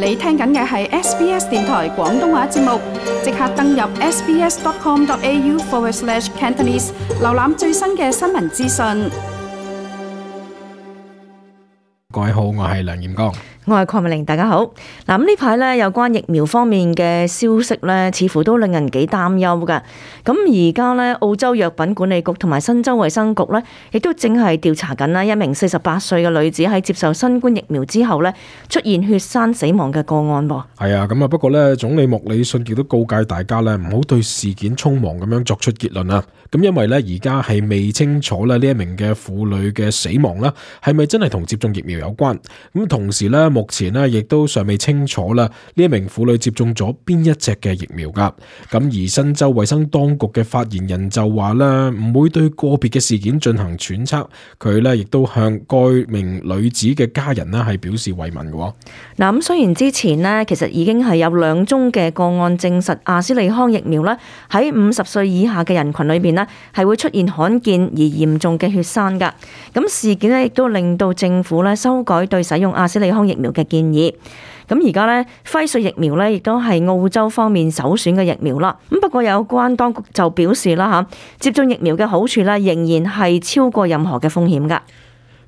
你聽緊嘅係 SBS 電台廣東話節目，即刻登入 sbs.com.au/Cantonese 瀏覽最新嘅新聞資訊。各位好，我係梁彥剛。我係鄺美玲，大家好。嗱，咁呢排咧有關疫苗方面嘅消息咧，似乎都令人幾擔憂㗎。咁而家咧，澳洲藥品管理局同埋新州衛生局咧，亦都正係調查緊啦一名48歲嘅女子喺接受新冠疫苗之後咧，出現血栓死亡嘅個案噃。係啊，咁啊，不過咧，總理莫里遜亦都告誡大家咧，唔好對事件匆忙咁樣作出結論啊。咁因為咧，而家係未清楚咧呢一名嘅婦女嘅死亡啦，係咪真係同接種疫苗有關？咁同時咧，目前咧亦都尚未清楚啦，呢一名婦女接種咗邊一隻嘅疫苗噶。咁而新州衛生當局嘅發言人就話咧，唔會對個別嘅事件進行揣測。佢咧亦都向該名女子嘅家人咧係表示慰問嘅。嗱，咁雖然之前呢，其實已經係有2宗嘅個案證實阿斯利康疫苗咧喺50歲以下嘅人群裏邊呢係會出現罕見而嚴重嘅血栓噶。咁事件呢亦都令到政府咧修改對使用阿斯利康疫苗嘅建議。咁而家咧輝瑞疫苗咧亦都係澳洲方面首選嘅疫苗啦。咁不過有關當局就表示啦嚇，接種疫苗嘅好處咧仍然係超過任何嘅風險噶。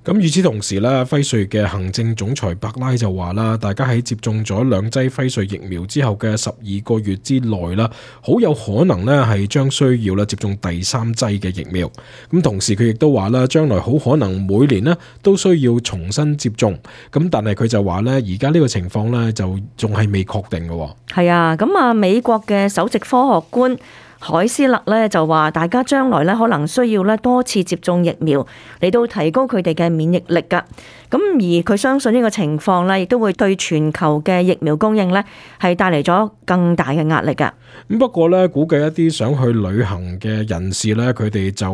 咁與此同時咧，輝瑞嘅行政總裁白拉就話啦，大家喺接種咗2劑輝瑞疫苗之後嘅12個月之內啦，好有可能咧係將需要咧接種第3劑嘅疫苗。咁同時佢亦都話啦，將來好可能每年咧都需要重新接種。咁但係佢就話咧，而家呢個情況咧就仲係未確定嘅。係啊，咁啊美國嘅首席科學官海斯勒咧就話，大家將來咧可能需要咧多次接種疫苗嚟到提高佢哋嘅免疫力噶。咁而佢相信呢個情況咧，亦都會對全球嘅疫苗供應咧係帶嚟咗更大嘅壓力噶。咁不過咧，估計一啲想去旅行嘅人士咧，佢哋就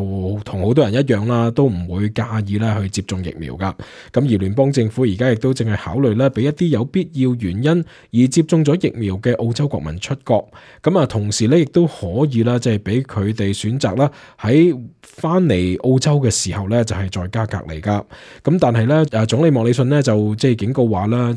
同好多人一樣啦，都唔會介意咧去接種疫苗噶。咁而聯邦政府而家亦都正係考慮咧，俾一啲有必要原因而接種咗疫苗嘅澳洲國民出國。咁啊，同時咧亦都可以啦，即係俾佢哋選擇啦，喺翻嚟澳洲嘅時候咧，就係在家隔離噶。咁但係咧，總理莫里遜咧就即係警告話啦，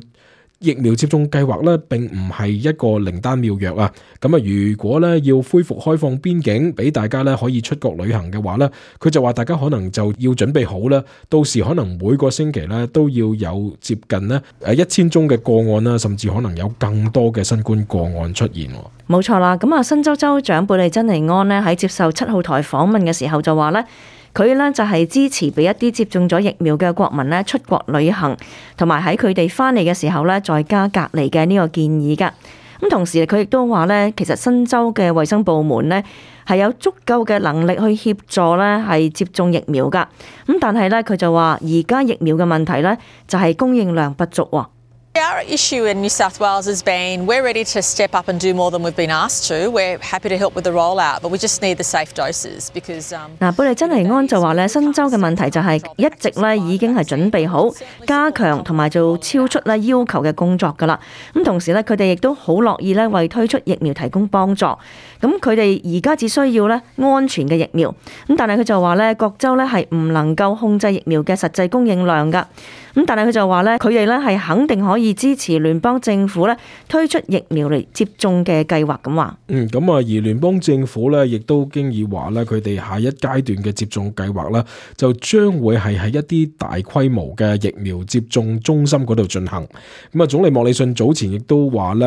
疫苗接種計劃咧並唔係一個靈丹妙藥啊！咁啊，如果咧要恢復開放邊境，俾大家咧可以出國旅行嘅話咧，佢就話大家可能就要準備好啦，到時可能每個星期咧都要有接近咧1000宗嘅個案啦，甚至可能有更多嘅新冠個案出現。冇錯啦，咁啊，新州州長貝利珍尼安呢喺接受7號台訪問嘅時候就話咧，佢呢就係支持俾一啲接種咗疫苗嘅國民呢出國旅行，同埋喺佢哋翻嚟嘅時候呢在家隔離嘅呢個建議噶。咁同時佢亦都話呢，其實新州嘅衛生部門呢係有足夠嘅能力去協助呢係接種疫苗噶。咁但係呢，佢就話而家疫苗嘅問題呢就係供應量不足喎。Our issue in New South Wales has been we're ready to step up and do more than we've been asked to. We're happy to help with the rollout, but we just need the safe doses because 貝利珍尼安就話咧，新州嘅問題就係一直咧已經係準備好加強同埋做超出咧要求嘅工作噶啦。咁同時咧，佢哋亦都好樂意咧為推出疫苗提供幫助。咁佢哋而家只需要咧安全嘅疫苗。咁但係佢就話咧，各州咧係唔能夠控制疫苗嘅實際供應量噶。咁但係佢就話咧，佢哋咧係肯定可以支持聯邦政府咧推出疫苗嚟接種嘅計劃咁話。咁啊，而聯邦政府咧亦都經已話咧，佢哋下一階段嘅接種計劃啦，就將會係喺一啲大規模嘅疫苗接種中心嗰度進行。咁啊，總理莫里遜早前亦都話咧，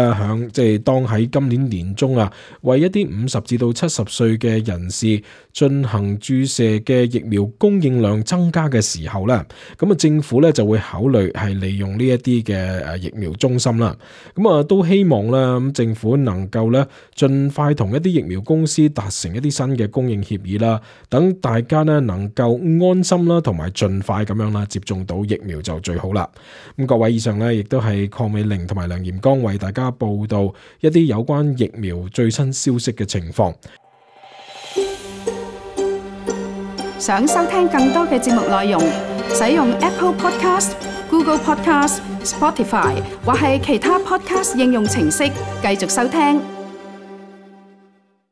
當喺今年年中啊，為一啲50至到70歲嘅人士進行注射嘅疫苗供應量增加嘅時候咧，咁啊政府咧就會考慮係利用呢一啲嘅疫苗中心啦。咁啊都希望咧，咁政府能夠咧盡快同一啲疫苗公司達成一啲新嘅供應協議啦，等大家咧能夠安心啦，同埋盡快咁樣啦接種到疫苗就最好啦。咁各位，以上咧亦都係鄺美玲同埋梁彥剛為大家報道一啲有關疫苗最新消息嘅情況。想收聽更多嘅節目內容，使用 Apple Podcast、Google Podcast、Spotify 或係其他 Podcast 應用程式繼續收聽。